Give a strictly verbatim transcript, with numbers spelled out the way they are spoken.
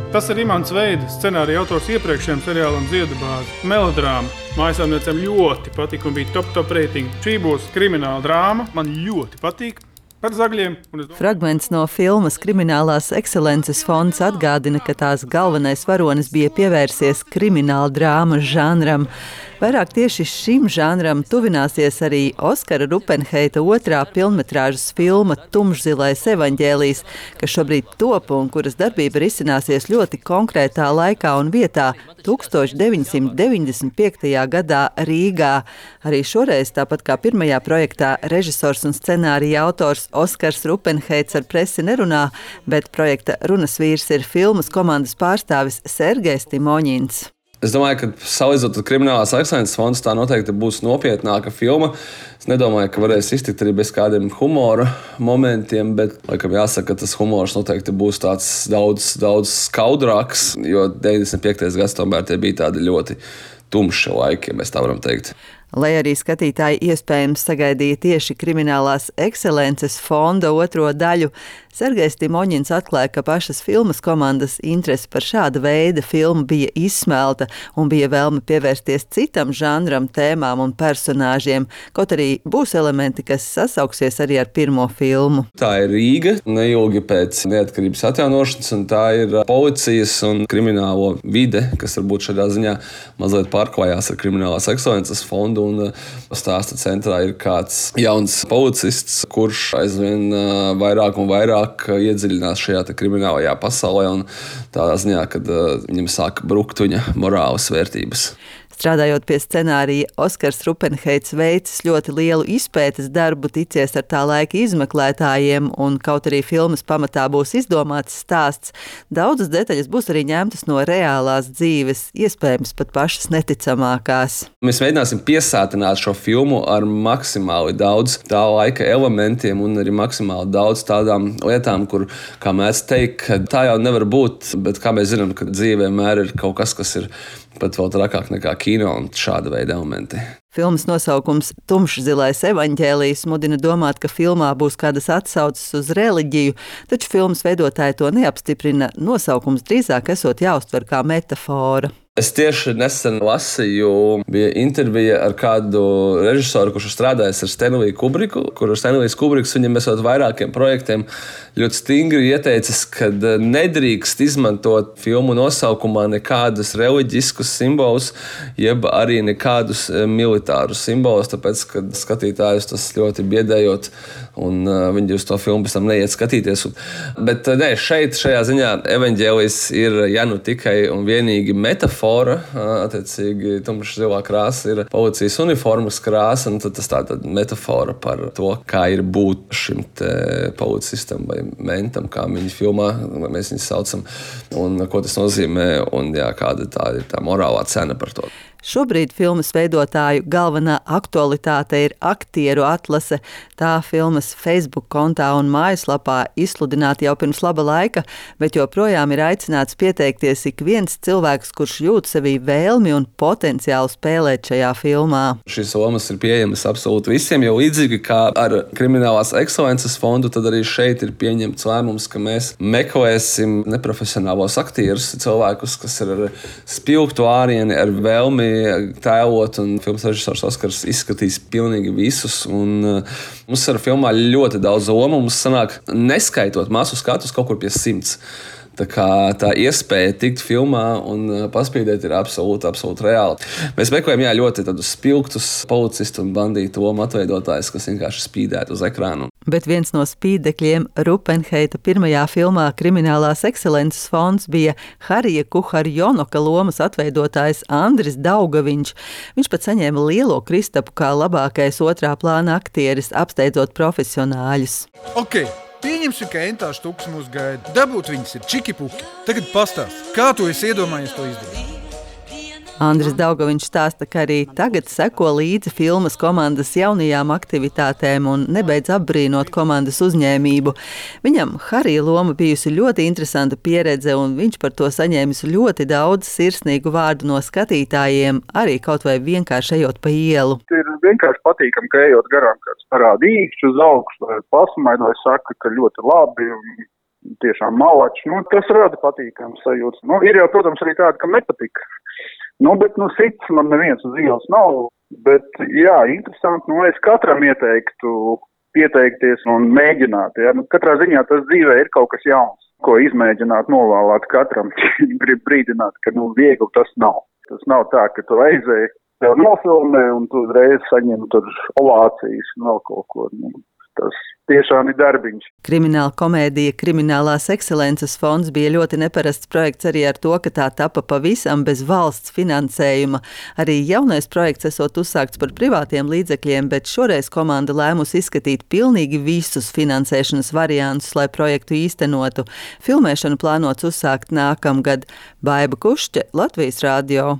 Tas ir Imants Veids, scenārija autors iepriekšējiem seriālam Ziedu bāze. Melodrāma. Mājasēmniecēm ļoti patika un bija top top reitingi. Šī būs krimināla drāma. Man ļoti patīk. Par zagļiem. Fragments no filmas Kriminālās ekscelences fonds atgādina, ka tās galvenais varonis bija pievērsies krimināla drāmas žanram. Vairāk tieši šim žanram tuvināsies arī Oskara Rupenheita otrā pilnmetrāžas filma Tumšzilais evaņģēlijs, kas šobrīd top un kuras darbība risināsies ļoti konkrētā laikā un vietā tūkstoš deviņsimt deviņdesmit piektajā gadā Rīgā. Arī šoreiz, tāpat kā pirmajā projektā, režisors un scenārija autors Oskars Rupenheits ar presi nerunā, bet projekta runas vīrs ir filmas komandas pārstāvis Sergejs Timoņins. Es domāju, ka salīdzinot ar Kriminālās ekscelences fondu, tā noteikti būs nopietnāka filma. Es nedomāju, ka varēs iztikt arī bez kādiem humora momentiem, bet, laikam, jāsaka, ka tas humors noteikti būs tāds daudz, daudz skaudrāks, jo deviņdesmit piektais gads tomēr tie bija tādi ļoti tumši laiki, ja mēs tā varam teikt. Lai arī skatītāji iespējams sagaidīja tieši Kriminālās ekscelences fonda otro daļu, Sergejs Timoņins atklāja, ka pašas filmas komandas interese par šāda veida filmu bija izsmelta un bija vēlme pievērsties citam žanram, tēmām un personāžiem, kaut arī būs elementi, kas sasauksies arī ar pirmo filmu. Tā ir Rīga, neilgi pēc neatkarības atjaunošanas, un tā ir policijas un kriminālo vide, kas varbūt šādā ziņā mazliet pārklājās ar Kriminālās ekscelences fondu. Un stāsta centrā ir kāds jauns policists, kurš aizvien vairāk un vairāk iedziļinās šajā kriminālajā pasaulē un tādā ziņā, kad viņam sāka brukt viņa morāles vērtības. Strādājot pie scenārija, Oskars Rupenheits veicis ļoti lielu izpētes darbu, ticies ar tā laika izmeklētājiem, un kaut arī filmas pamatā būs izdomāts stāsts, daudzas detaļas būs arī ņemtas no reālās dzīves, iespējams pat pašas neticamākās. Mēs mēģināsim piesātināt šo filmu ar maksimāli daudz tā laika elementiem un arī maksimāli daudz tādām lietām, kur, kā mēs teikt, ka tā jau nevar būt, bet kā mēs zinām, ka dzīvē vienmēr ir kaut kas, kas ir pat vēl trakāk nekā kino un šāda veida elementi. Filmas nosaukums Tumšzilais evaņģēlijs mudina domāt, ka filmā būs kādas atsauces uz reliģiju, taču filmas veidotāji to neapstiprina, nosaukums drīzāk esot jāuztver kā metafora. Es tieši nesen lasīju, bija intervija ar kādu režisoru, kurš strādājis ar Stanliju Kubriku, kur Stanlijs Kubriks viņam esot vairākiem projektiem ļoti stingri ieteicis, ka nedrīkst izmantot filmu nosaukumā nekādus reliģiskus simbolus, jeb arī nekādus militārus simbolus, tāpēc, ka skatītājus tas ļoti biedējot, un viņi uz to filmu pēc tam neiet skatīties. Bet ne, šeit, šajā ziņā evaņģēlijs ir ja nu tikai un vienīgi metafora, attiecīgi tumšzilā krāsa ir policijas uniformas krāsa, un tad tas tāda metafora par to, kā ir būt šim te policistam vai mentam, kā viņi filmā, mēs viņus saucam, un ko tas nozīmē, un jā, kāda tā ir tā morālā cena par to. Šobrīd filmas veidotāju galvenā aktualitāte ir aktieru atlase. Tā filmas Facebook kontā un mājaslapā izsludināta jau pirms laba laika, bet joprojām ir aicināts pieteikties ik viens cilvēks, kurš jūt sevī vēlmi un potenciālu spēlēt šajā filmā. Šīs lomas ir pieejamas absolūti visiem, jo līdzīgi kā ar Kriminālās ekscelences fondu, tad arī šeit ir pieņemts lēmums, ka mēs meklēsim neprofesionālos aktierus, cilvēkus, kas ir ar spilgtu ārieni, ar vēlmi tēlot, un filmas režisors Oskars izskatīs pilnīgi visus, un uh, mums ar filmā ļoti daudz lomu, mums sanāk neskaitot masu skatus kaut kur pie simts. Tā kā tā iespēja tikt filmā un paspīdēt ir absolūti, absolūti reāli. Mēs meklējam jā, ļoti tādus spilgtus policistu un bandītu lomu atveidotājus, kas vienkārši spīdētu uz ekrānu. Bet viens no spīdekļiem Rupenheita pirmajā filmā Kriminālās ekscelences fonds bija Harija Kuharjonoka lomas atveidotājs Andris Daugaviņš. Viņš pat saņēma lielo kristapu kā labākais otrā plāna aktieris, apsteidzot profesionāļus. Okay. Pieņemsim, ka entā štuks mūs gaida. Dabūt viņas ir čiki-puki. Tagad pastāst, kā tu esi iedomājies to izdarīt? Andris Daugaviņš stāsta, ka arī tagad seko līdzi filmas komandas jaunajām aktivitātēm un nebeidz apbrīnot komandas uzņēmību. Viņam Harija loma bijusi ļoti interesanta pieredze, un viņš par to saņēmis ļoti daudz sirsnīgu vārdu no skatītājiem, arī kaut vai vienkārši ejot pa ielu. Ir vienkārši patīkami, ka ejot garām kāds parāda īkšķi uz augstu vai pasmaidot, saka, ka ļoti labi. tiešām malači. Nu, tas rada patīkams sajūtas. Nu, ir jau, protams, arī tādi, kam nepatika. Nu, bet, nu, sits man neviens uz ielas nav. Bet, jā, interesanti, nu, es katram ieteiktu pieteikties un mēģināt. Ja? Nu, katrā ziņā tas dzīvē ir kaut kas jauns, ko izmēģināt, novēlēt katram. Grib brīdināt, ka, nu, viegli tas nav. Tas nav tā, ka tu aizēji, tev nofilmē un tu uzreiz saņem tur ovācijas un vēl kaut ko. Nu, tas tiešām ir darbiņš. Krimināla komēdija Kriminālās ekscelences fonds bija ļoti neparasts projekts arī ar to, ka tā tapa pavisam bez valsts finansējuma. Arī jaunais projekts esot uzsākts par privātiem līdzekļiem, bet šoreiz komanda lēmusi izskatīt pilnīgi visus finansēšanas variantus, lai projektu īstenotu. Filmēšanu plānots uzsākt nākamgad. Baiba Kušķe, Latvijas radio.